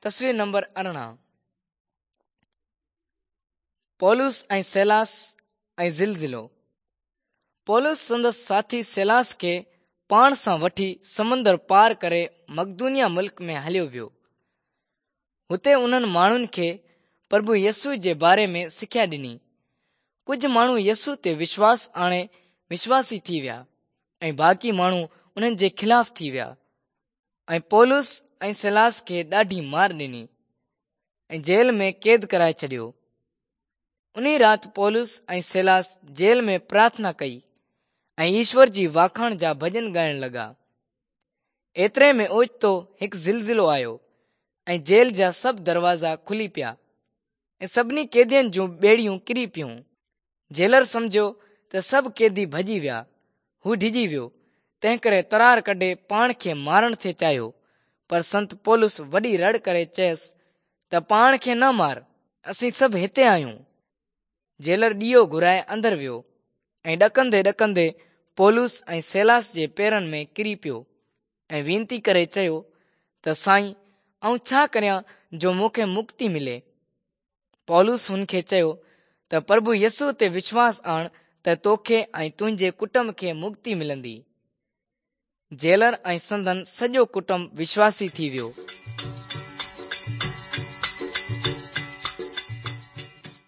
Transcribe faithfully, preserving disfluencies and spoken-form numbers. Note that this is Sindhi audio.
تصوير نمبر ارڙهن. پولس ۽ سيلاس ۽ زلزلو. پولس سندس ساٿي سيلاس کي پاڻ سان وٺي سمندر پار ڪري مقدونيا ملڪ ۾ هليو ويو. هتي انهن ماڻهن کي پرڀو يسوع جي باري ۾ سکيا ڏني. ڪجهه ماڻهو يسوع تي وشواس آڻي وشواسي ٿي ويا ۽ باقي ماڻهو انهن جي خلاف ٿي ويا ۽ پولس ۽ سيلاس کي ڏاڍي مار ڏني ۽ جيل ۾ قيد ڪرائي ڇڏيو. انهي رات پولس ۽ سيلاس جيل ۾ پرارٿنا ڪئي ۽ ايشور جي واکاڻ جا ڀڄن ڳائڻ لڳا. ايتري ۾ اوچتو هڪ زلزلو آيو ۽ جيل جا سڀ دروازا کلي پيا ۽ سڀني قيدين جون ٻيڙيون ڪري پيون. جيلر سمجهيو ته سڀ قيدي ڀڄي ويا. هو ڊڄي ويو، تنهنڪري ترار ڪڍي پاڻ کي مارڻ ٿي چاهيو، پر سنت پولس وڏي رڙ ڪري چيس ته پاڻ کي نه مار، اسين سڀ هتي آهيون. جيلر ڏيئو گهرائي اندر ويو ۽ ڏڪندي ڏڪندي پولس ۽ سيلاس جي پيرن ۾ ڪري پيو ۽ وينتي ڪري چيو ته سائين، آئون ڇا ڪريان جو مون کي مڪتي ملي؟ پولس هن کي چيو ته پرڀو يسوع تي وشواس آڻ ته توکي ۽ تنهنجي ڪٽنب کي مڪتي ملندي. جيلر ۽ سندن سڄو ڪٽنب وشواسي ٿي ويو.